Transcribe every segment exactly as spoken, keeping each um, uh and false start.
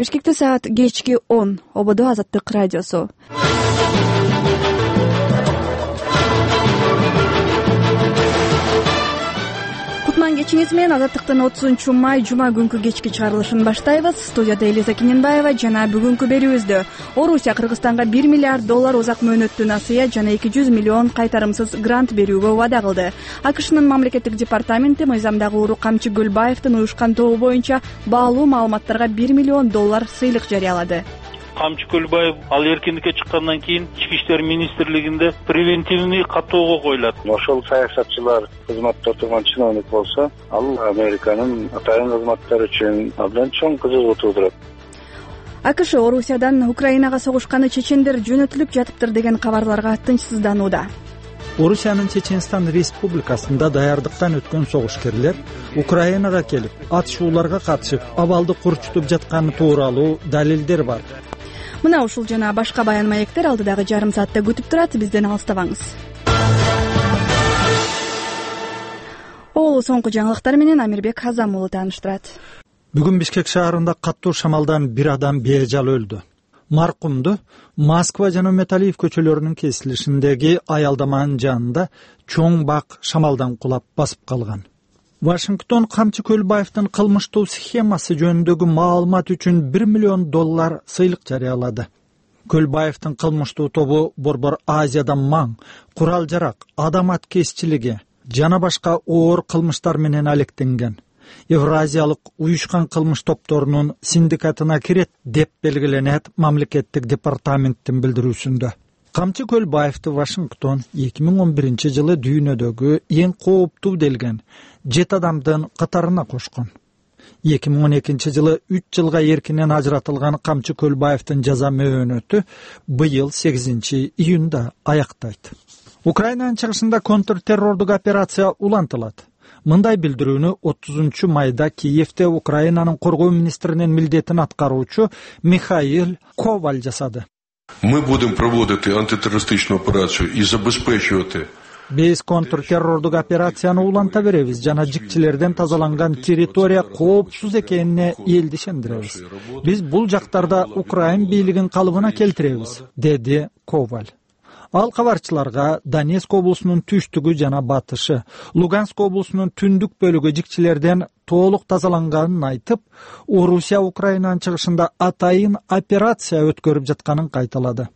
Бишкекте саат кечки он. Ободо Азаттык радиосу. Кутман кечиңиз менен Азаттыктын отузунчу май жума күнкү кечки чыгарылышын баштайбыз. Студияда Элиза Кененбаева жана бүгүнкү берүүбүздө Орусия Кыргызстанга бир миллиард доллар узак мөөнөттүү насыя жана эки жүз миллион кайтарымсыз грант берүүгө убада кылды. АКШнын мамлекеттик департаменти мыйзамдагы уру Камчы Көлбаевдин уюшкан тобу боюнча баалуу маалыматтарга бир миллион доллар сыйлык жарыялады. Камчы Көлбаев ал эркиндикке чыккандан кийин Ички иштер министрлигинде превентивный каттоого коюлат. Ошол саясатчылар кызматта отурган чиновник болсо, ал Американын атайын кызматтары үчүн абдан чоң кызыгуу туудурат. АКШ Орусиядан Украинага согушканы чечендер жөнөтүлүп жатыптыр деген кабарларга тынчсызданууда. Орусиянын Чеченстан республикасында даярдыктан өткөн согушкерлер Украинага келип, атышууларга катышып, абалды курчутуп жатканы тууралуу далилдер бар. Мына ушул жана башка баян маектер алдыдагы жарым саатта күтүп турат, бизден алыстабаңыз. Ол соңку жаңылыктар менен Амирбек Азам уулу тааныштырат. Бүгүн Бишкек шаарында каттуу шамалдан бир адам бежал өлдү. Маркумду Москва жана Металиев көчөлөрүнүн кесилишиндеги аялдаманын жанында чоң бак шамалдан кулап басып калган. Вашингтон Камчы Көлбаевдин кылмыштуу схемасы жөнүндөгү маалымат үчүн бир миллион доллар сыйлык жарыялады. Көлбаевдин кылмыштуу тобу Борбор Азияда маң, курал-жарак, адам аткезчилиги жана башка оор кылмыштар менен алектенген. Евразиялык уюшкан кылмыш топторунун синдикатына кирет деп белгиленет мамлекеттик департаменттин билдирүүсүндө. Камчы Көлбаевди Вашингтон эки миң он биринчи жылы дүйнөдөгү эң кооптуу делген жети адамдын катарына кошкон. эки миң он экинчи жылы үч жылга эркинен ажыратылган Камчы Көлбаевдин жаза мөөнөтү быйыл сегизинчи июнда аяктайт. Украинанын чыгышында контртеррордук операция улантылат. Мындай билдирүүнү отузунчу майда Киевде Украинанын коргоо министринин милдетин аткаруучу Михаил Коваль жасады. Мы будем проводити антитеррористичну операцию и забезпечувати. Биз контртеррордук операцияны уланта беребиз жана жикчилерден тазаланган территория коопсуз экенине элди ишендиребиз. Биз бул жактарда Украин бийлигин калыбына келтиребиз, деди Коваль. Ал кабарчыларга Донецк облусунун түштүгү жана батышы, Луганск облусунун түндүк бөлүгү жикчилерден толук тазаланганын айтып, Орусия Украинанын чыгышында атайын операция өткөрүп жатканын кайталады.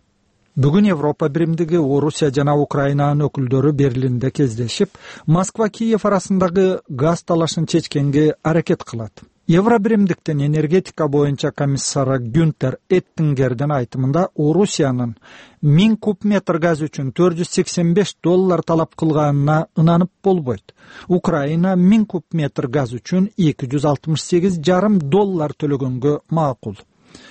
Бүгүн Европа биримдиги Орусия жана Украинанын өкүлдөрү Берлинде кездешип, Москва-Киев арасындагы газ талашын чечкенге аракет кылат. Евро биримдиктин энергетика боюнча комиссары Гюнтер Эттингердин айтымында Орусиянын миң куб метр газ үчүн төрт жүз сексен беш доллар талап кылганына ынанып болбойт. Украина миң куб метр газ үчүн эки жүз алтымыш сегиз жарым доллар төлөгөнгө макул.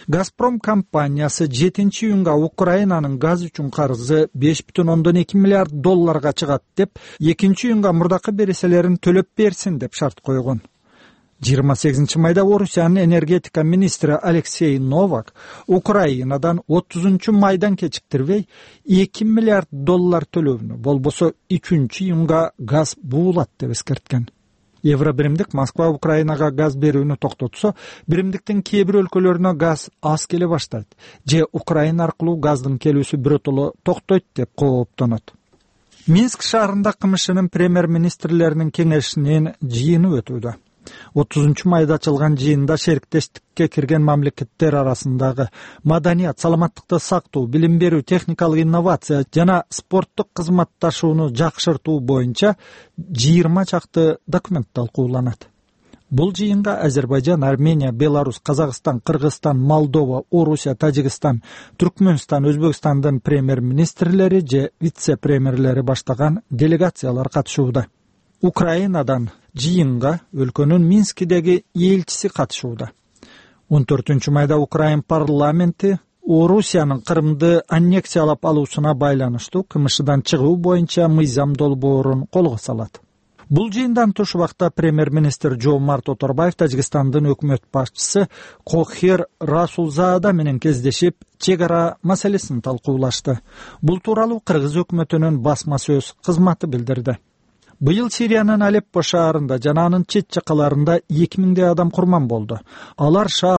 Газпром компаниясы жетинчи июнга Украинанын газ үчүн карызы беш бүтүн ондон эки миллиард долларга чыгат деп, экинчи июнга мурдакы береселерин төлөп берсин деп шарт койгон. жыйырма сегизинчи майда Орусиянын энергетика министри Алексей Новак Украинадан отузунчу майдан кечиктирбей эки миллиард доллар төлөөнү, болбосо үчүнчү июнга газ буулат деп эскерткен. Евро биримдик Москва Украинага газ берүүнү токтотсо, биримдиктин кээ бир өлкөлөрүнө газ аз келе баштайт, же Украина аркылуу газдын келүүсү биротоло токтойт деп кооптонот. Минск шаарында КМШнын премьер-министрлеринин кеңешинин жыйыны өтүүдө. отузунчу майда ачылган жыйында шериктештикке кирген мамлекеттер арасындагы маданият, саламаттыкты сактоо, билим берүү, техникалык инновация жана спорттук кызматташууну жакшыртуу боюнча жыйырма чакты документ талкууланат. Бул жыйынга Азербайжан, Армения, Беларусь, Казакстан, Кыргызстан, Молдова, Орусия, Тажикстан, Түркмөнстан, Өзбекстандын премьер-министрлери же вице-премьерлери баштаган делегациялар катышууда. Украинадан жыйынга өлкөнүн Минскидеги элчиси катышууда. он төртүнчү майда Украин парламенти Орусиянын Кырымды аннексиялап алуусуна байланыштуу КМШдан чыгуу боюнча мыйзам долбоорун колго салат. Бул жыйындан туш убакта премьер-министр Жомарт Оторбаев Тажикстандын өкмөт башчысы Кохер Расулзаада менен кездешип, чек ара маселесин талкуулашты. Бул тууралуу Кыргыз өкмөтүнүн басма сөз кызматы билдирди. Быйыл Сириянын Алеппо шаарында жана анын чет жакаларында эки миңдей адам курман болду. Алар шаар